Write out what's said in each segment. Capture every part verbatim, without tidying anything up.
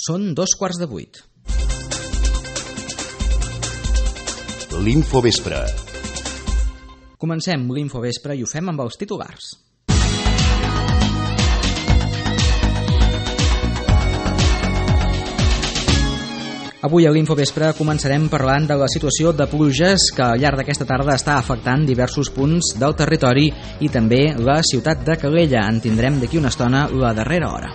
Són dos quarts de vuit. L'Infovespre. Comencem l'Infovespre i ho fem amb els titulars. Avui a l'Infovespre començarem parlant de la situació de pluges que al llarg d'aquesta tarda està afectant diversos punts del territori i també la ciutat de Calella. En tindrem d'aquí una estona la darrera hora.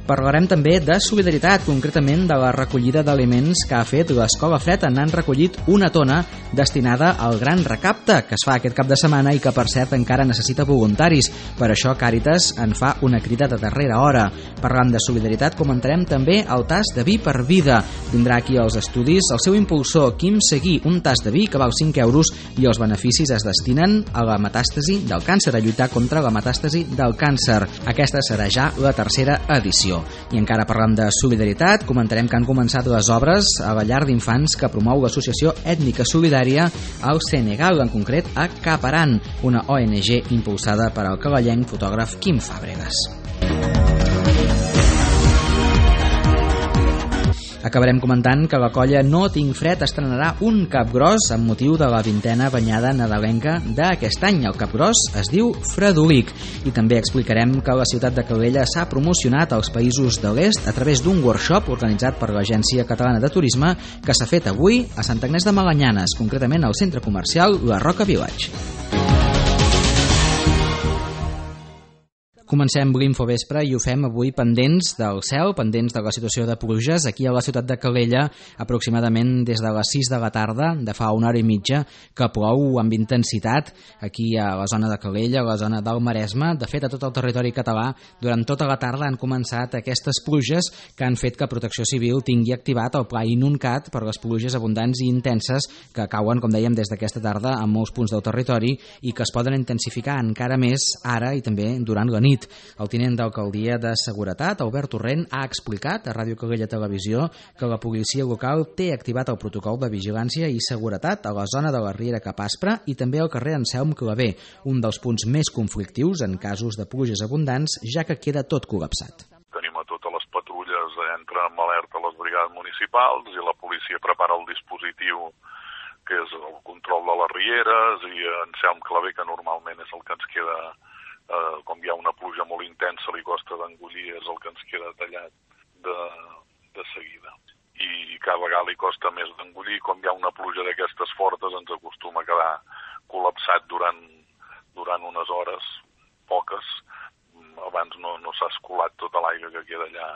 Parlarem també de solidaritat, concretament de la recollida d'aliments que ha fet l'Escola Fred. N'han recollit una tona destinada al gran recapte que es fa aquest cap de setmana i que, per cert, encara necessita voluntaris. Per això Càritas en fa una crida de darrera hora. Parlant de solidaritat, comentarem també el tast de vi per vida. Vindrà aquí als estudis el seu impulsor, Quim Seguí, un tast de vi que val cinc euros i els beneficis es destinen a la metàstasi del càncer, a lluitar contra la metàstasi del càncer. Aquesta serà ja la tercera edició. I encara parlant de solidaritat, comentarem que han començat les obres a la llar d'infants que promou l'Associació Ètnica Solidària al Senegal, en concret a Caparan, una O N G impulsada per al calellenc fotògraf Quim Fàbregas. Acabarem comentant que la colla No Tinc Fred estrenarà un capgròs amb motiu de la vintena banyada nadalenca d'aquest any. El capgròs es diu Fredolic. I també explicarem que la ciutat de Calella s'ha promocionat als països de l'est a través d'un workshop organitzat per l'Agència Catalana de Turisme que s'ha fet avui a Sant Agnès de Malanyanes, concretament al centre comercial La Roca Village. Comencem l'Infovespre i ho fem avui pendents del cel, pendents de la situació de pluges. Aquí a la ciutat de Calella, aproximadament des de les sis de la tarda, de fa una hora i mitja, que plou amb intensitat aquí a la zona de Calella, a la zona del Maresme. De fet, a tot el territori català, durant tota la tarda han començat aquestes pluges que han fet que Protecció Civil tingui activat el pla Inuncat per les pluges abundants i intenses que cauen, com dèiem, des d'aquesta tarda en molts punts del territori i que es poden intensificar encara més ara i també durant la nit. El tinent d'alcaldia de Seguretat, Albert Torrent, ha explicat a Ràdio Calella Televisió que la policia local té activat el protocol de vigilància i seguretat a la zona de la Riera Cap Aspre i també al carrer Anselm Clavé, un dels punts més conflictius en casos de pluges abundants, ja que queda tot col·lapsat. Tenim a totes les patrulles, entren en alerta les brigades municipals i la policia prepara el dispositiu que és el control de les rieres i Anselm Clavé, que normalment és el que ens queda. Uh, com hi ha una pluja molt intensa, li costa d'engollir, és el que ens queda tallat de, de seguida. I cada vegada li costa més d'engollir. Com hi ha una pluja d'aquestes fortes, ens acostuma a quedar col·lapsat durant, durant unes hores, poques. Abans no, no s'ha escolat tota l'aigua que queda allà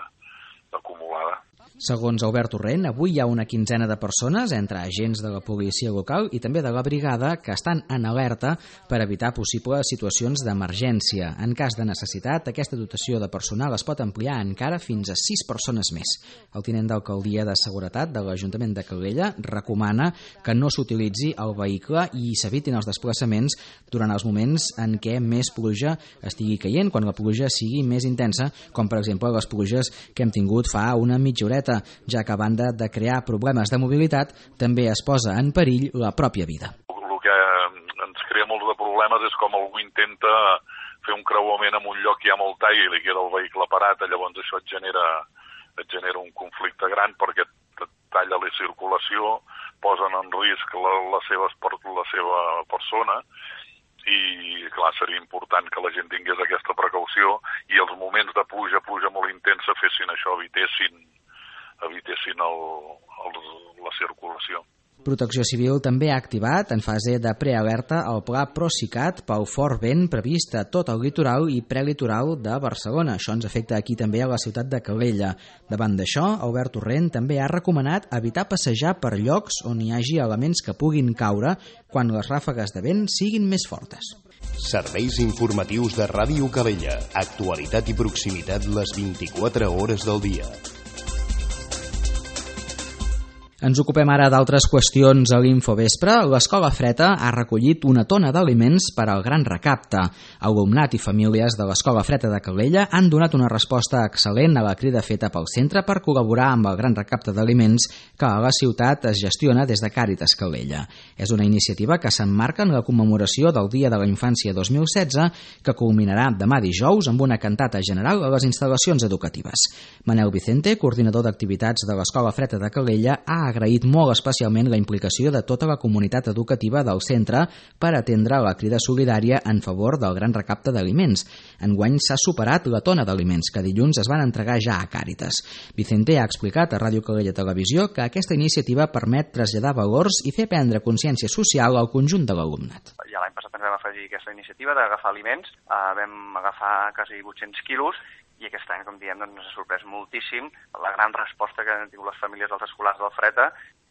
acumulada. Segons Albert Torrent, avui hi ha una quinzena de persones, entre agents de la policia local i també de la brigada, que estan en alerta per evitar possibles situacions d'emergència. En cas de necessitat, aquesta dotació de personal es pot ampliar encara fins a sis persones més. El tinent d'alcaldia de Seguretat de l'Ajuntament de Calella recomana que no s'utilitzi el vehicle i s'evitin els desplaçaments durant els moments en què més pluja estigui caient, quan la pluja sigui més intensa, com per exemple les pluges que hem tingut fa una mitja horeta, ja que a banda de crear problemes de mobilitat, també es posa en perill la pròpia vida. El que ens crea molts de problemes és com algú intenta fer un creuament en un lloc que hi ha molt aigua i li queda el vehicle parat, llavors això et genera, et genera un conflicte gran perquè et talla la circulació, posen en risc la, la, seva, la seva persona i, clar, seria important que la gent tingués aquesta precaució i els moments de pluja, pluja molt intensa, fessin això, evitessin evitessin el, el, la circulació. Protecció Civil també ha activat, en fase de prealerta, el pla Procicat pel fort vent previst a tot el litoral i prelitoral de Barcelona. Això ens afecta aquí també a la ciutat de Calella. Davant d'això, Albert Torrent també ha recomanat evitar passejar per llocs on hi hagi elements que puguin caure quan les ràfegues de vent siguin més fortes. Serveis informatius de Ràdio Calella. Actualitat i proximitat les vint-i-quatre hores del dia. Ens ocupem ara d'altres qüestions a l'Infovespre. L'Escola Freta ha recollit una tona d'aliments per al gran recapte. Alumnat i famílies de l'Escola Freta de Calella han donat una resposta excel·lent a la crida feta pel centre per col·laborar amb el gran recapte d'aliments que a la ciutat es gestiona des de Càritas Calella. És una iniciativa que s'emmarca en la commemoració del Dia de la Infància dos mil setze, que culminarà demà dijous amb una cantata general a les instal·lacions educatives. Manel Vicente, coordinador d'activitats de l'Escola Freta de Calella, ha agraït molt especialment la implicació de tota la comunitat educativa del centre per atendre la crida solidària en favor del gran recapte d'aliments. Enguany s'ha superat la tona d'aliments que dilluns es van entregar ja a Càritas. Vicente ha explicat a Ràdio Calella Televisió que aquesta iniciativa permet traslladar valors i fer prendre consciència social al conjunt de l'alumnat. Ja l'any passat ens vam afegir aquesta iniciativa d'agafar aliments, uh, vam agafar quasi vuit-cents quilos, i aquest any, com diem, doncs, ens ha sorprès moltíssim la gran resposta que han tingut les famílies dels escolars del Freta.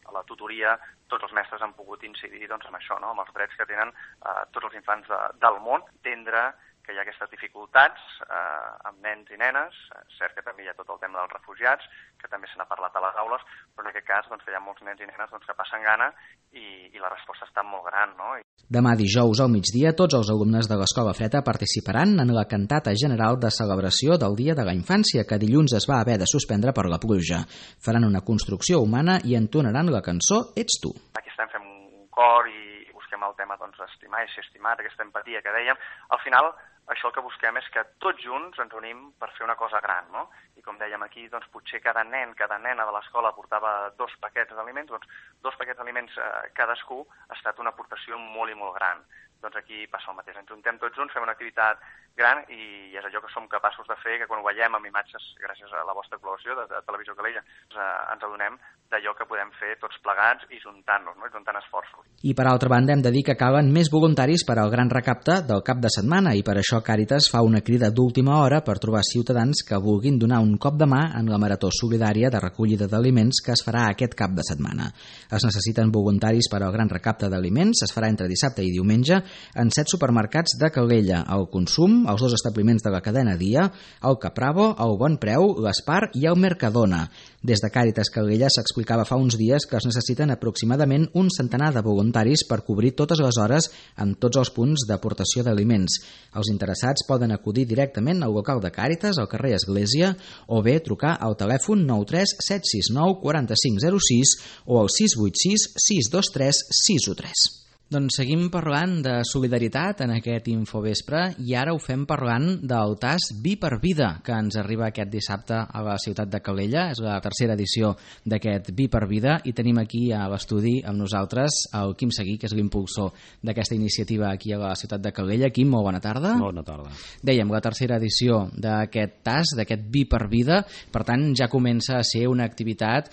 A la tutoria tots els mestres han pogut incidir doncs, amb això, no? Amb els drets que tenen eh, tots els infants de, del món, entendre que hi ha aquestes dificultats eh, amb nens i nenes. És cert que també hi ha tot el tema dels refugiats, que també se n'ha parlat a les aules, però en aquest cas doncs, hi ha molts nens i nenes doncs, que passen gana i, i la resposta està molt gran, no? Demà dijous al migdia, tots els alumnes de l'Escola Freta participaran en la cantata general de celebració del Dia de la Infància, que dilluns es va haver de suspendre per la pluja. Faran una construcció humana i entonaran la cançó Ets tu. Aquí estem fent un cor i busquem el tema doncs, d'estimar i ser estimat, aquesta empatia que dèiem. Al final, això el que busquem és que tots junts ens unim per fer una cosa gran, no? I com dèiem aquí, doncs potser cada nen, cada nena de l'escola portava dos paquets d'aliments, doncs dos paquets d'aliments eh, cadascú ha estat una aportació molt i molt gran. Doncs aquí passa el mateix, ens juntem tots junts, fem una activitat gran i és allò que som capaços de fer, que quan ho veiem amb imatges, gràcies a la vostra col·laboració de, de Televisió Calella, doncs, eh, ens adonem d'allò que podem fer tots plegats i juntant-nos, no? I juntant esforços. I per altra banda hem de dir que calen més voluntaris per al gran recapte del cap de setmana i per això Càritas fa una crida d'última hora per trobar ciutadans que vulguin donar un cop de mà en la marató solidària de recollida d'aliments que es farà aquest cap de setmana. Es necessiten voluntaris per al gran recapte d'aliments, es farà entre dissabte i diumenge en set supermercats de Calella, el Consum, els dos establiments de la cadena Dia, el Capravo, el Bon Preu, l'Espar i el Mercadona. Des de Càritas Calella s'explicava fa uns dies que es necessiten aproximadament un centenar de voluntaris per cobrir totes les hores en tots els punts d'aportació d'aliments. Els interessats poden acudir directament al local de Càritas, al carrer Església, o bé trucar al telèfon nou tres set sis nou quatre cinc zero sis o al sis vuit sis sis dos tres sis u tres. Doncs seguim parlant de solidaritat en aquest Infovespre i ara ho fem parlant del tas Vi per Vida, que ens arriba aquest dissabte a la ciutat de Calella. És la tercera edició d'aquest Vi per Vida i tenim aquí a l'estudi amb nosaltres el Quim Seguí, que és l'impulsor d'aquesta iniciativa aquí a la ciutat de Calella. Quim, molt bona tarda. Bona tarda. Dèiem, la tercera edició d'aquest tas, d'aquest Vi per Vida, per tant ja comença a ser una activitat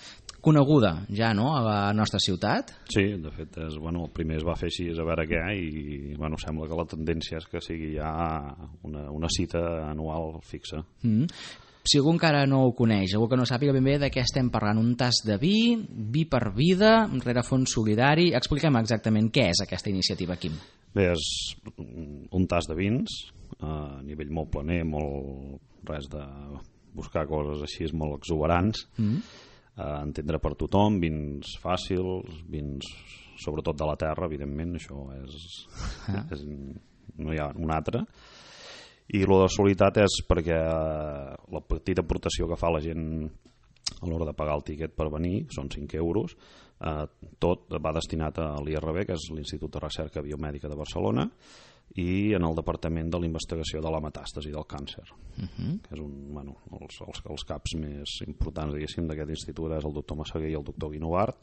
coneguda ja, no?, a la nostra ciutat. Sí, de fet, és, bueno, el primer es va fer així a veure què i bueno, sembla que la tendència és que sigui ja una, una cita anual fixa. Mm. Si algú encara no ho coneix, algú que no sàpiga ben bé de què estem parlant, un tas de vi, Vi per Vida, rerefons solidari, expliquem exactament què és aquesta iniciativa, Quim. Bé, és un tas de vins, a nivell molt planer, molt res de buscar coses així molt exuberants, mm. Uh, entendre per tothom, vins fàcils, vins sobretot de la terra, evidentment, això és, ah. és no hi ha un altre. I lo de solidaritat és perquè uh, la petita aportació que fa la gent a l'hora de pagar el tiquet per venir, són cinc euros, uh, tot va destinat a l'I R B, que és l'Institut de Recerca Biomèdica de Barcelona, i en el Departament de la Investigació de la Metàstasi del Càncer, uh-huh. que és un, bueno, els, els, els caps més importants d'aquest institut és el doctor Massaguer i el doctor Guinovart,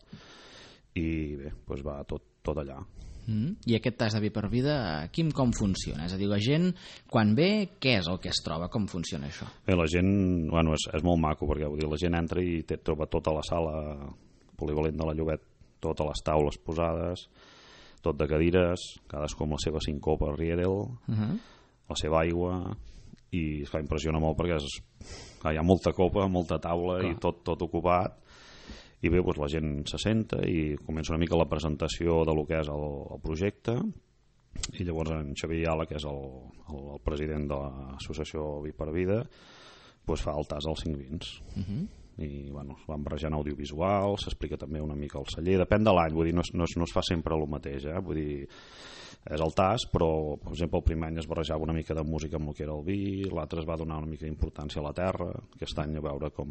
i bé, doncs va tot, tot allà. Uh-huh. I aquest tas de Vi per Vida, Quim, com funciona? És a dir, la gent, quan ve, què és el que es troba? Com funciona això? Bé, la gent, bueno, és, és molt maco, perquè vull dir, la gent entra i té, troba tota la sala polivalent de la Llobet, totes les taules posades, tot de cadires, cadascú amb la seva sincopa Riedel, uh-huh. la seva aigua, i es fa impressiona molt perquè és, clar, hi ha molta copa, molta taula, clar. I tot, tot ocupat, i bé, doncs la gent se senta i comença una mica la presentació de lo que és el, el projecte, i llavors en Xavier Ayala, que és el, el, el president de l'associació Vi per Vida, doncs fa el tas als cinc vins. Uh-huh. i bueno, es van barrejant audiovisuals, s'explica també una mica el celler, depèn de l'any, vull dir, no, no, no es fa sempre el mateix, eh? Vull dir, és el tas, però per exemple el primer any es barrejava una mica de música amb el que era el vi, l'altre es va donar una mica d'importància a la terra, aquest any a veure com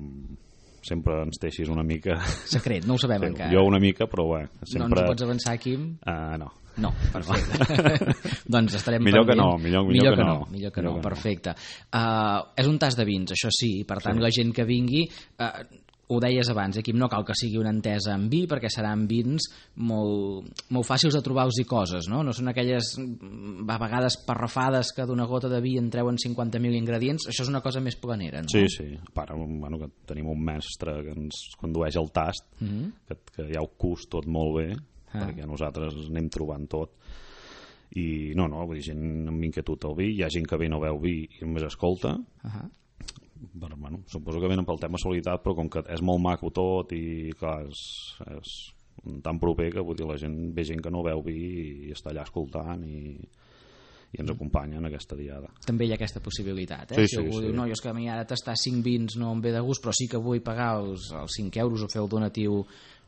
sempre ens deixis una mica... Secret, no ho sabem sí, encara. Jo una mica, però bé, sempre... No ens ho pots avançar, Quim? Uh, no. No, perfecte. Doncs estarem millor pendents. Que no, millor, millor, millor que, que no. no. Millor que no, perfecte. Uh, és un tas de vins, això sí, per tant sí. La gent que vingui... Uh, ho deies abans, Quim, no cal que sigui una entesa en vi perquè seran vins molt, molt fàcils de trobar-los i coses, no? No són aquelles a vegades parrafades que d'una gota de vi en treuen cinquanta mil ingredients, això és una cosa més planera, no? Sí, sí, a part bueno, que tenim un mestre que ens condueix el tast, mm-hmm. que, que ja ho cus tot molt bé, ah. perquè nosaltres anem trobant tot, i no, no, vull dir, gent amb inquietud al vi, hi ha gent que ve no veu vi i només escolta, uh-huh. Però, bueno, suposo que venen pel tema solidaritat, però com que és molt maco tot i clar, és, és tan proper que vull dir, la gent, ve gent que no veu vi i està allà escoltant i, i ens acompanya en aquesta diada. També hi ha aquesta possibilitat, eh? Sí, si sí, algú sí. diu, no, jo és que a mi ara tastar cinc vins no em ve de gust, però sí que vull pagar els, els cinc euros o fer el donatiu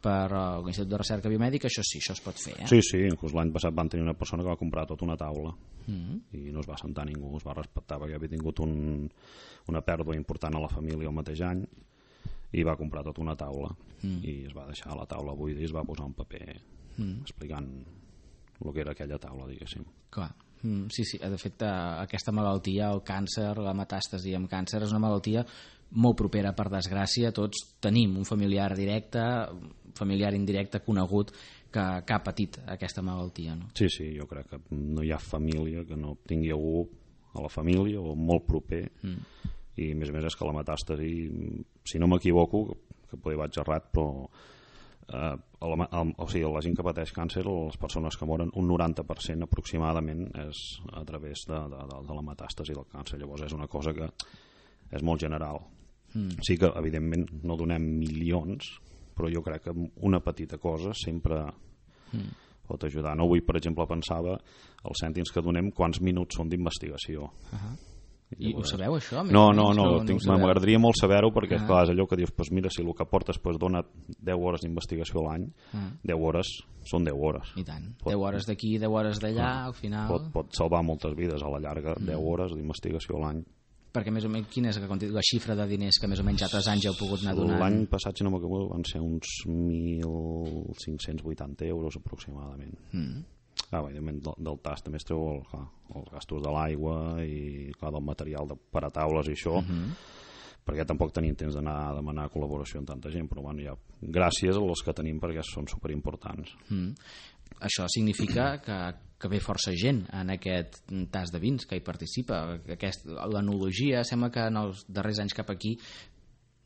per uh, l'Institut de Recerca Biomèdica, això sí, això es pot fer, eh? Sí, sí, inclús l'any passat van tenir una persona que va comprar tota una taula mm-hmm. i no es va sentar ningú, es va respectar perquè havia tingut un, una pèrdua important a la família el mateix any i va comprar tota una taula mm. i es va deixar la taula buida i es va posar un paper mm. explicant el que era aquella taula, diguéssim. Clar. Mm, sí, sí, de fet aquesta malaltia, el càncer, la metàstasi amb càncer és una malaltia molt propera, per desgràcia. Tots tenim un familiar directe, familiar indirecte conegut que, que ha patit aquesta malaltia, no? Sí, sí, jo crec que no hi ha família que no tingui algú a la família o molt proper mm. i a més a més és que la metàstasi, si no m'equivoco, que poder vaig errat, però eh, el, el, o sigui, la gent que pateix càncer, les persones que moren, un noranta per cent aproximadament és a través de, de, de, de la metàstasi del càncer. Llavors és una cosa que és molt general. Mm. Sí que evidentment no donem milions, però jo crec que una petita cosa sempre mm. pot ajudar. No? Avui, per exemple, pensava els cèntims que donem quants minuts són d'investigació. Uh-huh. I ho sabeu, això? No, no, no, no, no m'agradaria molt saber-ho perquè uh-huh. clar, és allò que dius, pues mira, si el que portes pues, dona deu hores d'investigació a l'any, uh-huh. deu hores són deu hores. I tant, pot, deu hores d'aquí, deu hores d'allà, al final... Pot, pot salvar moltes vides a la llarga, uh-huh. deu hores d'investigació a l'any. Perquè més o menys, quina és la xifra de diners que més o menys altres anys heu pogut anar donant? L'any passat, si no m'equivoco, van ser uns mil cinc-cents vuitanta euros aproximadament. Mm. Ah, evidentment, del, del tas també es treu el, clar, els gastos de l'aigua i clar, del material de, per a taules i això, mm-hmm. perquè tampoc tenim temps d'anar a demanar col·laboració amb tanta gent, però bueno, ja, gràcies a els que tenim perquè són superimportants. Mm. Això significa que, que ve força gent en aquest tas de vins que hi participa. Aquest, l'enologia sembla que en els darrers anys cap aquí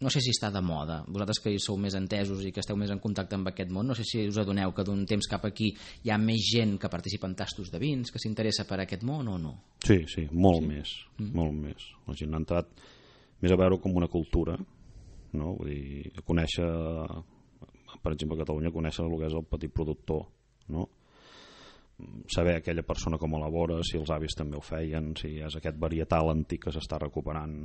no sé si està de moda. Vosaltres que hi sou més entesos i que esteu més en contacte amb aquest món, no sé si us adoneu que d'un temps cap aquí hi ha més gent que participa en tastos de vins, que s'interessa per aquest món o no? Sí, sí, molt sí. més, mm. molt més. La gent ha entrat més a veure com una cultura, no? Vull dir, a conèixer, per exemple, a Catalunya, conèixer el que és el petit productor, no? Saber aquella persona com elabora, si els avis també ho feien, si és aquest varietal antic que s'està recuperant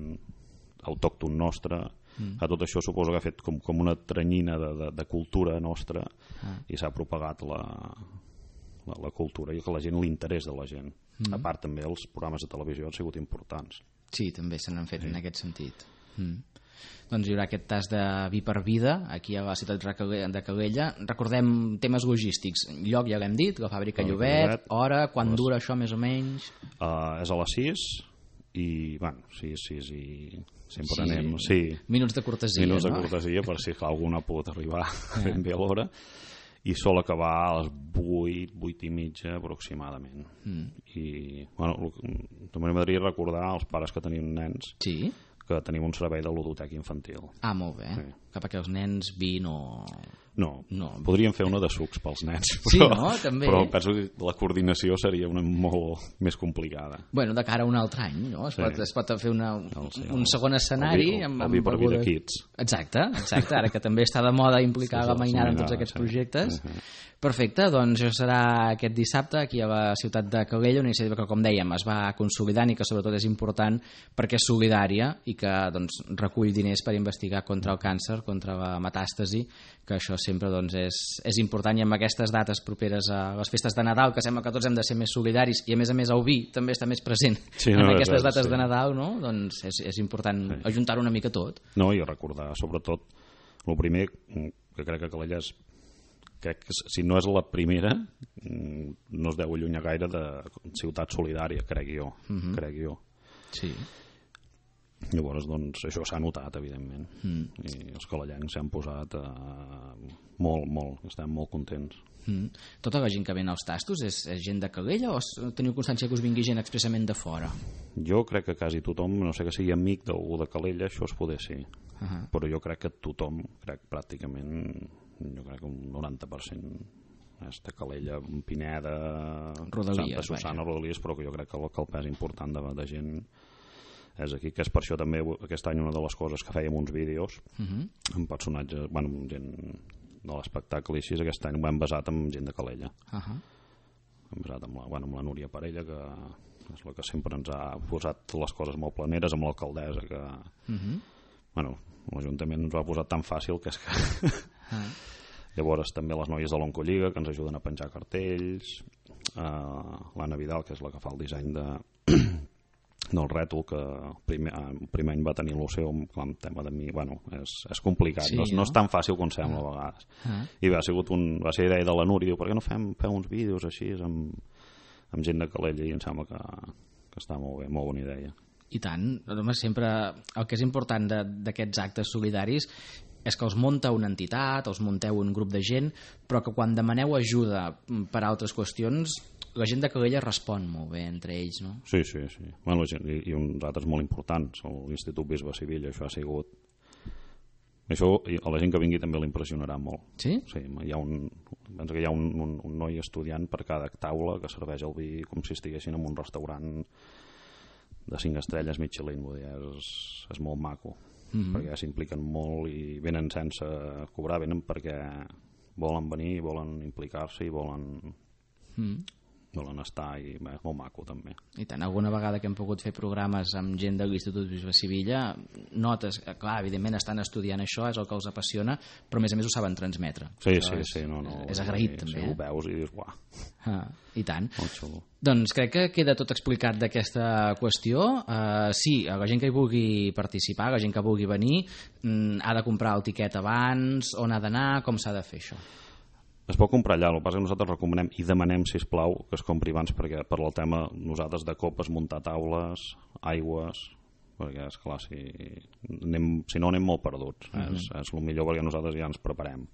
autòcton nostre, mm. a tot això suposo que ha fet com, com una tranyina de, de, de cultura nostra ah. i s'ha propagat la, la, la cultura i que la gent, l'interès de la gent. Mm. A part també els programes de televisió han sigut importants. Sí, també se n'han fet sí. en aquest sentit. Mm. Doncs hi haurà aquest tas de vi per vida aquí a la ciutat de Calella. Recordem temes logístics. Lloc ja l'hem dit, la fàbrica Llobet, Llobet, hora, quan les... dura això més o menys? Uh, és a les sis i, bueno, sis, sis i sempre sí. anem... Sí. Minuts de cortesia, Minuts no? de cortesia, per si algú no ha pogut arribar eh. ben bé a l'hora. I sol acabar a les vuit, vuit i mitja aproximadament. Mm. I, bueno, també m'agradaria recordar als pares que tenim nens... Sí? que tenim un servei de ludotèquia infantil. Ah, molt bé. Sí. Que perquè els nens vi no... No, no, podríem fer una de sucs pels nens. Però, sí, no? També. Però penso que la coordinació seria una molt més complicada. Bueno, de cara a un altre any, no? Es, sí. pot, es pot fer una, no, sí, un segon escenari el, amb, el, amb el beguda Kids. Exacte, exacte, ara que també està de moda implicar sí, la mainada en tots aquests sí. projectes. Uh -huh. Perfecte, doncs això serà aquest dissabte aquí a la ciutat de Calella, una iniciativa que, com dèiem, es va consolidant i que sobretot és important perquè és solidària i que doncs, recull diners per investigar contra el càncer, contra la metàstasi, que això sempre doncs, és, és important, i amb aquestes dates properes a les festes de Nadal, que sembla que tots hem de ser més solidaris, i a més a més el vi també està més present sí, no, en aquestes dates sí. de Nadal, no? Doncs és, és important sí. ajuntar una mica tot. No, i recordar, sobretot, el primer, que crec que Calella és crec que si no és la primera no es deu allunyar gaire de ciutat solidària, crec jo uh -huh. crec jo sí. Llavors, doncs, això s'ha notat, evidentment mm. i els calellencs s'han posat eh, molt, molt, estem molt contents. Mm. Tota la gent que ven als tastos és, és gent de Calella o teniu constància que us vingui gent expressament de fora? Jo crec que quasi tothom, no sé que sigui amic d'algú de Calella, això es poder sí uh -huh. però jo crec que tothom, crec pràcticament jo crec que un noranta per cent és de Calella, Pineda, Rodalies, Santa Susana, Rodalies, però que jo crec que el, que el pes important de, de gent és aquí, que és per això també aquest any una de les coses que fèiem uns vídeos uh -huh. amb personatges, bueno, amb gent de l'espectacle i així, aquest any ho hem basat en gent de Calella uh -huh. hem basat amb la, bueno, amb la Núria Parella, que és la que sempre ens ha posat les coses molt planeres, amb l'alcaldessa que uh -huh. bueno, l'Ajuntament ens ho ha posat tan fàcil que és que uh -huh. Llavors també les noies de l'Oncolliga que ens ajuden a penjar cartells, uh, l'Anna Vidal, que és la que fa el disseny de del rètol, que el primer, el primer any va tenir l'Oceu amb el tema de mi, bueno, és, és complicat, sí, no, no? no és tan fàcil com sembla a vegades. Ah. I va, ha sigut un, va ser idea de la Núria, diu, per què no fem, fem uns vídeos així amb, amb gent de Calella, i em sembla que, que està molt bé, molt bona idea. I tant, home, sempre el que és important d'aquests actes solidaris és que els munta una entitat, els munteu un grup de gent, però que quan demaneu ajuda per a altres qüestions, la gent de Calella respon molt bé entre ells, no? Sí, sí, sí. Bueno, i, i uns altres molt importants, l'Institut Bisbe Sevilla, això ha sigut... Això a la gent que vingui també l'impressionarà molt. Sí? Sí, hi ha un, penso que hi ha un, un, un noi estudiant per cada taula que serveix el vi com si estiguessin en un restaurant de cinc estrelles Michelin, vull dir, és, és molt maco. Mm-hmm. Perquè s'impliquen molt i venen sense cobrar, venen perquè volen venir, volen implicar-se i volen mm. volen estar, i bé, és molt maco també. I tant, alguna vegada que hem pogut fer programes amb gent de l'Institut Bisbe Sevilla, notes, clar, evidentment estan estudiant això, és el que els apassiona, però a més a més ho saben transmetre. Sí, sí, és, sí, no, no, és agraït sí, també. Sí, ho veus i dius, uah. Ah, i tant. Molt xulo. Doncs crec que queda tot explicat d'aquesta qüestió. Uh, sí, la gent que hi vulgui participar, la gent que vulgui venir, mm, ha de comprar el tiquet abans, on ha d'anar, com s'ha de fer això? Es pot comprar allà, el que passa que nosaltres recomanem i demanem, sisplau, que es compri abans, perquè per el tema nosaltres de copes, muntar taules, aigües, perquè esclar, si, anem, si no anem molt perduts, uh -huh. és, és el millor perquè nosaltres ja ens preparem.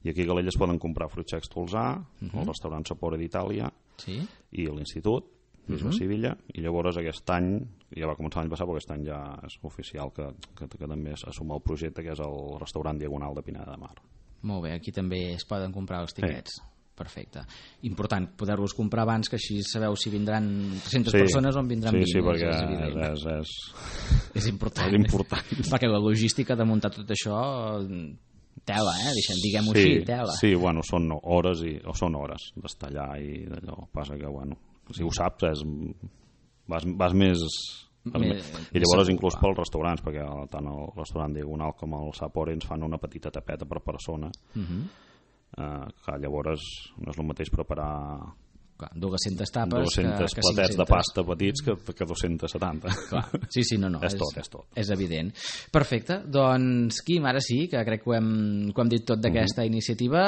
I aquí a Calella es poden comprar fruits secs Tolzà, uh -huh. el restaurant Sapore d'Itàlia sí? i l'Institut Bisbe uh -huh. Sevilla, i llavors aquest any, ja va començar l'any passat, però aquest any ja és oficial que, que, que també assuma el projecte, que és el restaurant Diagonal de Pineda de Mar. Molt bé, aquí també es poden comprar els tiquets. Sí. Perfecte. Important poder-los comprar abans, que així sabeu si vindran tres-centes sí. persones o en vindran sí, vint. Sí, perquè és, és, és, és important. És important. Perquè la logística de muntar tot això, tela, eh? Diguem-ho sí, així, tela. Sí, bueno, són hores i, o són hores d'estar allà i d'allò. Passa que, bueno, si ho saps, és, vas, vas més... Me, i llavors inclús pels restaurants, perquè tant el restaurant Diagonal com el Sapore ens fan una petita tapeta per persona, uh-huh. eh, que llavors no és el mateix preparar clar, dues-centes tapes dues-centes que, que platets de pasta petits que, que dos-cents setanta. Clar. Sí, sí, no, no, és, és tot, és tot. És evident. Perfecte, doncs Quim, ara sí, que crec que ho hem, que ho hem dit tot d'aquesta uh-huh. iniciativa,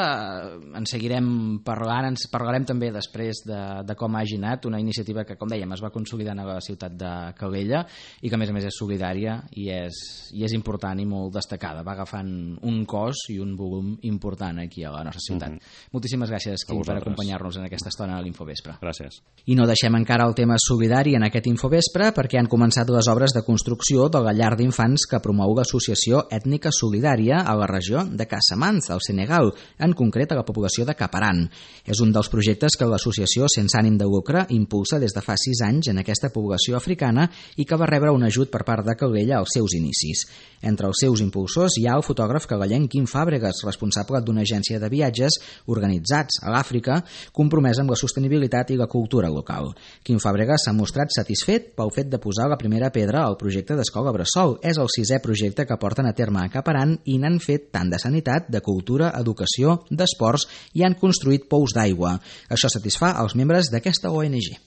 en seguirem parlant, ens parlarem també després de, de com ha anat, una iniciativa que, com dèiem, es va consolidant a la ciutat de Calella i que a més a més és solidària i és, i és important i molt destacada, va agafant un cos i un volum important aquí a la nostra ciutat. Uh-huh. Moltíssimes gràcies, Quim, per acompanyar-nos en aquesta estona a l'Info Infovespre. Gràcies. I no deixem encara el tema solidari en aquest Infovespre perquè han començat les obres de construcció de la llar d'infants que promou l'Associació Ètnica Solidària a la regió de Casamance, al Senegal, en concret a la població de Caparan. És un dels projectes que l'associació sense ànim de lucre impulsa des de fa sis anys en aquesta població africana i que va rebre un ajut per part de Calella als seus inicis. Entre els seus impulsors hi ha el fotògraf cagallenc Quim Fàbregas, responsable d'una agència de viatges organitzats a l'Àfrica, compromès amb la sostenibilitat i la cultura local. Quim Fàbregas s'ha mostrat satisfet pel fet de posar la primera pedra al projecte d'Escola Bressol. És el sisè projecte que porten a terme a Caparan i n'han fet tant de sanitat, de cultura, educació, d'esports i han construït pous d'aigua. Això satisfà els membres d'aquesta O N G.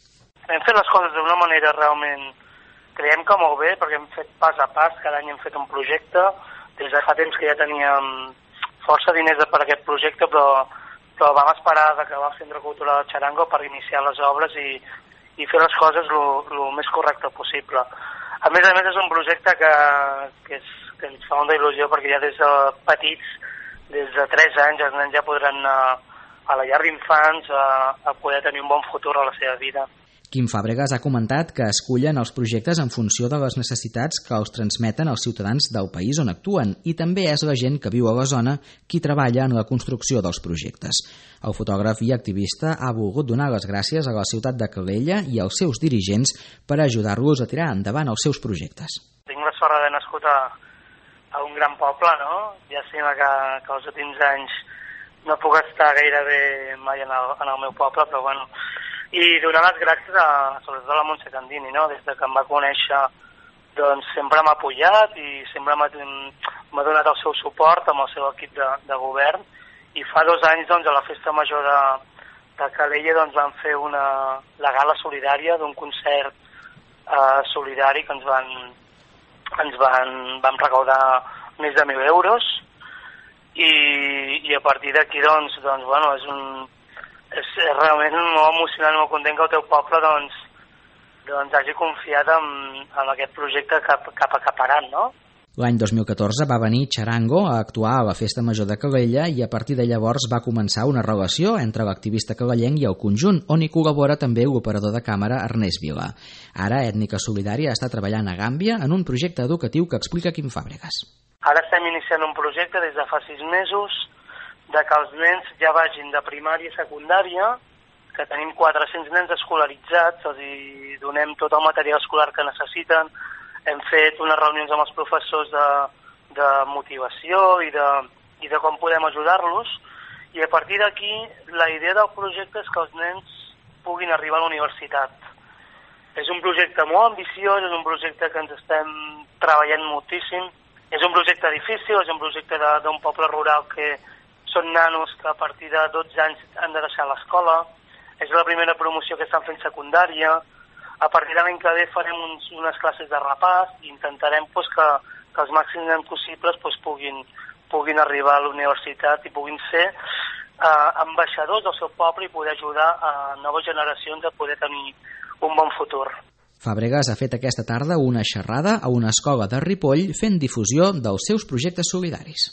Hem fet les coses d'una manera realment, creiem que molt bé, perquè hem fet pas a pas, cada any hem fet un projecte. Des de fa temps que ja teníem força diners per aquest projecte, però, però vam esperar d'acabar el Centre Cultural de Charango per iniciar les obres i, i fer les coses el més correcte possible. A més a més és un projecte que, que, és, que ens fa una il·lusió perquè ja des de petits, des de tres anys, els nens ja podran anar a la llar d'infants a, a poder tenir un bon futur a la seva vida. Quim Fàbregas ha comentat que escullen els projectes en funció de les necessitats que els transmeten els ciutadans del país on actuen i també és la gent que viu a la zona qui treballa en la construcció dels projectes. El fotògraf i activista ha volgut donar les gràcies a la ciutat de Calella i als seus dirigents per ajudar-los a tirar endavant els seus projectes. Tinc la sort d'haver nascut a, a un gran poble, no? Ja sembla que, que els últims anys no puc estar gairebé mai en el, en el meu poble, però bueno... I donar les gràcies a, sobretot a la Montse Candini, no? Des de que em va conèixer, doncs sempre m'ha apoyat i sempre m'ha donat el seu suport amb el seu equip de, de govern. I fa dos anys, doncs, a la festa major de, de Calella, doncs, vam fer una, la gala solidària d'un concert eh, solidari que ens van, ens van, vam recaudar més de mil euros. I, i a partir d'aquí, doncs, doncs, bueno, és un... és realment molt emocionant, molt content que el teu poble doncs, doncs hagi confiat en, en aquest projecte cap, cap a Caparan, no? L'any dos mil catorze va venir Charango a actuar a la Festa Major de Calella i a partir de llavors va començar una relació entre l'activista cagallenc i el conjunt, on hi col·labora també l'operador de càmera Ernest Vila. Ara Ètnica Solidària està treballant a Gàmbia en un projecte educatiu que explica Quim Fàbregas. Ara estem iniciant un projecte des de fa sis mesos de que els nens ja vagin de primària a secundària, que tenim quatre-cents nens escolaritzats, els hi donem tot el material escolar que necessiten, hem fet unes reunions amb els professors de, de motivació i de, i de com podem ajudar-los, i a partir d'aquí la idea del projecte és que els nens puguin arribar a la universitat. És un projecte molt ambiciós, és un projecte que ens estem treballant moltíssim, és un projecte difícil, és un projecte d'un poble rural que són nanos que a partir de dotze anys han de deixar l'escola, és la primera promoció que estan fent secundària, a partir de l'any que ve farem uns, unes classes de repàs i intentarem pues, que, que els màxims nens possibles pues, puguin, puguin arribar a la universitat i puguin ser eh, ambaixadors del seu poble i poder ajudar a noves generacions a poder tenir un bon futur. Fàbregas ha fet aquesta tarda una xerrada a una escola de Ripoll fent difusió dels seus projectes solidaris.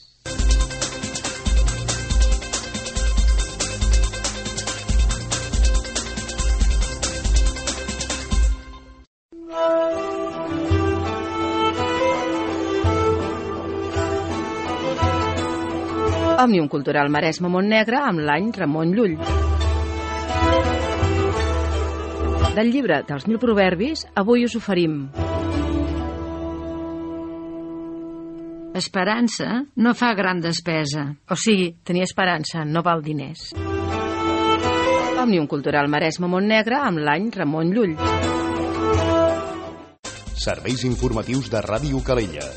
Òmnium Cultural Maresme Montnegre amb l'any Ramon Llull. Del llibre dels mil proverbis, avui us oferim. Esperança no fa gran despesa. O sigui, tenir esperança no val diners. Òmnium Cultural Maresme Montnegre amb l'any Ramon Llull. Serveis informatius de Ràdio Calella.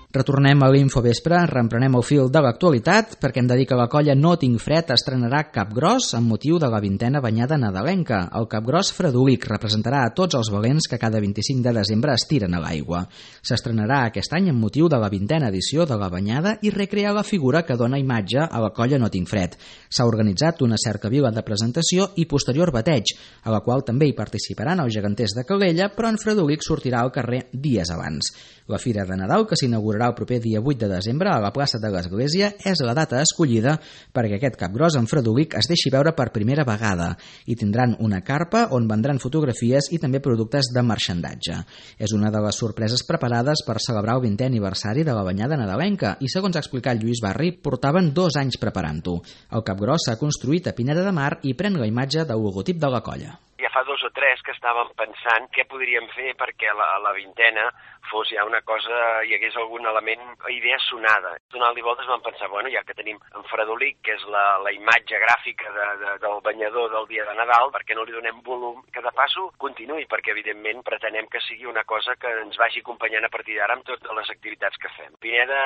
Retornem a l'Infovespre, reemprenem el fil de l'actualitat perquè hem de dir que la colla No Tinc Fred estrenarà Capgròs amb motiu de la vintena banyada nadalenca. El Capgròs Fredolic representarà a tots els valents que cada vint-i-cinc de desembre es tiren a l'aigua. S'estrenarà aquest any amb motiu de la vintena edició de la banyada i recrea la figura que dona imatge a la colla No Tinc Fred. S'ha organitzat una cercavila de presentació i posterior bateig, a la qual també hi participaran els geganters de Calella, però en Fredolic sortirà al carrer dies abans. La Fira de Nadal, que s'inaugurarà el proper dia vuit de desembre a la plaça de l'Església és la data escollida perquè aquest capgròs en fredolic es deixi veure per primera vegada i tindran una carpa on vendran fotografies i també productes de marxandatge. És una de les sorpreses preparades per celebrar el vintè aniversari de la banyada nadalenca i, segons ha explicat Lluís Barri, portaven dos anys preparant-ho. El capgròs s'ha construït a Pineda de Mar i pren la imatge del logotip de la colla. Ja fa dos o tres que estàvem pensant què podríem fer perquè la, la vintena fos ja una cosa, hi hagués algun element, idea sonada. Donant-li voltes vam pensar, bueno, ja que tenim en Fredolic, que és la, la imatge gràfica de, de, del banyador del dia de Nadal, perquè no li donem volum, que de passo continuï, perquè evidentment pretenem que sigui una cosa que ens vagi acompanyant a partir d'ara amb totes les activitats que fem. Pineda,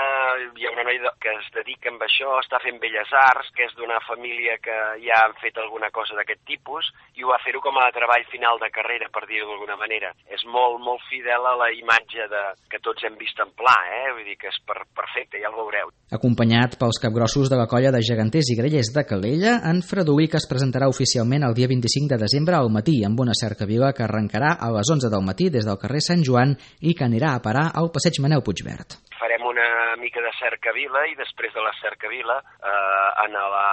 hi ha una noia que es dedica amb això, està fent belles arts, que és d'una família que ja han fet alguna cosa d'aquest tipus, i ho va fer-ho com a treball final de carrera, per dir-ho d'alguna manera. És molt, molt fidel a la imatge de, que tots hem vist en pla, eh? Vull dir que és per, perfecte, ja el veureu. Acompanyat pels capgrossos de la colla de geganters i grellers de Calella, en Fredolic es presentarà oficialment el dia vint-i-cinc de desembre al matí amb una cercavila que arrencarà a les onze del matí des del carrer Sant Joan i que anirà a parar al passeig Manel Puigverd. Farem una mica de cercavila i després de la cercavila eh, en, la,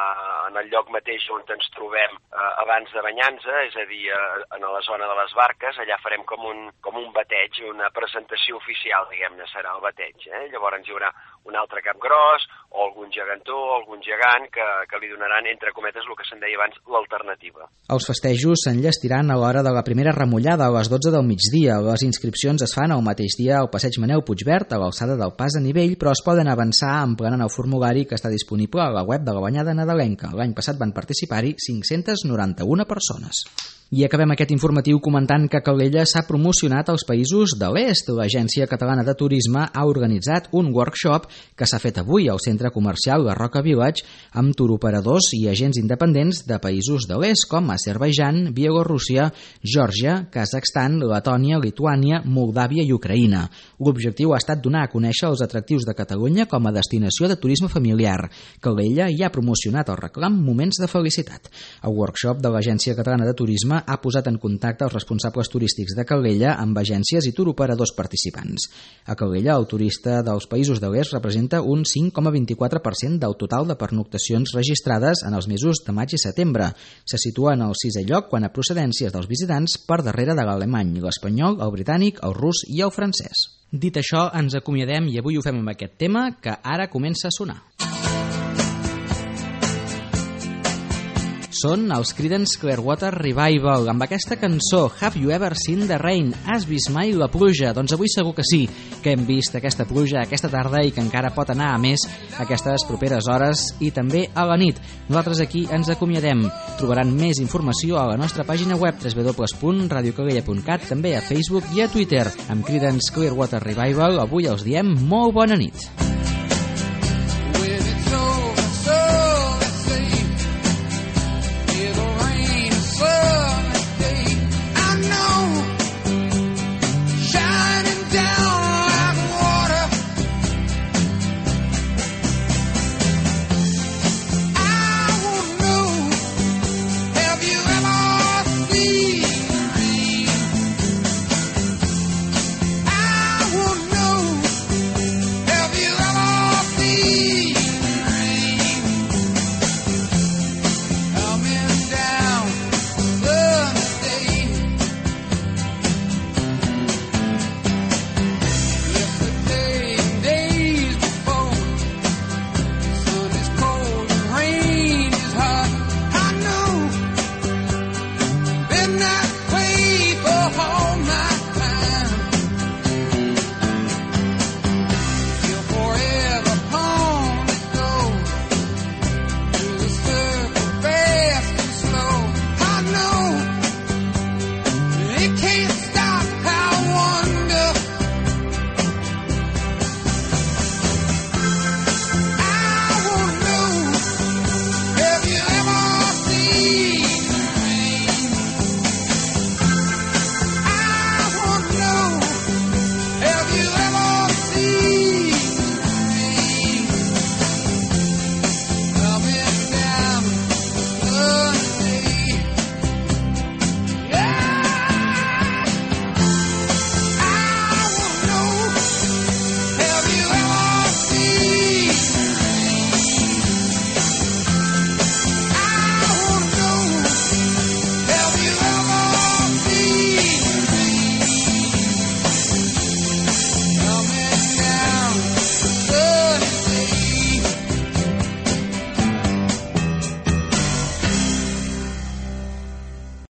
en el lloc mateix on ens trobem eh, abans de banyar-nos, és a dir, eh, en la zona de les barques, allà farem com un, com un bateig, una presentació oficial, diguem-ne, serà el bateig. Eh? Llavors hi haurà un altre capgròs o algun gegantó o algun gegant que, que li donaran, entre cometes, el que se'n deia abans, l'alternativa. Els festejos s'enllestiran a l'hora de la primera remullada a les dotze del migdia. Les inscripcions es fan el mateix dia al passeig Manel Puigverd, a l'alçada del pas a nivell, però es poden avançar emplenant el formulari que està disponible a la web de la banyada nadalenca. L'any passat van participar-hi cinc-centes noranta-una persones. I acabem aquest informatiu comentant que Calella s'ha promocionat als països de l'est. L'Agència Catalana de Turisme ha organitzat un workshop que s'ha fet avui al centre comercial La Roca Village amb turoperadors i agents independents de països de l'est com Azerbaidjan, Bielorússia, Geòrgia, Kazakhstan, Letònia, Lituània, Moldàvia i Ucraïna. L'objectiu ha estat donar a conèixer els atractius de Catalunya com a destinació de turisme familiar. Calella hi ha promocionat el reclam Moments de Felicitat. El workshop de l'Agència Catalana de Turisme ha posat en contacte els responsables turístics de Calella amb agències i turoperadors participants. A Calella, el turista dels països de l'est representa un cinc coma vint-i-quatre per cent del total de pernoctacions registrades en els mesos de maig i setembre. Se situa en el sisè lloc quant a procedències dels visitants per darrere de l'alemany, l'espanyol, el britànic, el rus i el francès. Dit això, ens acomiadem i avui ho fem amb aquest tema que ara comença a sonar. Són els Creedence Clearwater Revival amb aquesta cançó Have You Ever Seen the Rain? Has vist mai la pluja? Doncs avui segur que sí, que hem vist aquesta pluja aquesta tarda i que encara pot anar a més aquestes properes hores i també a la nit. Nosaltres aquí ens acomiadem. Trobaran més informació a la nostra pàgina web w w w punt radio calella punt cat, també a Facebook i a Twitter. Amb Creedence Clearwater Revival avui els diem molt bona nit.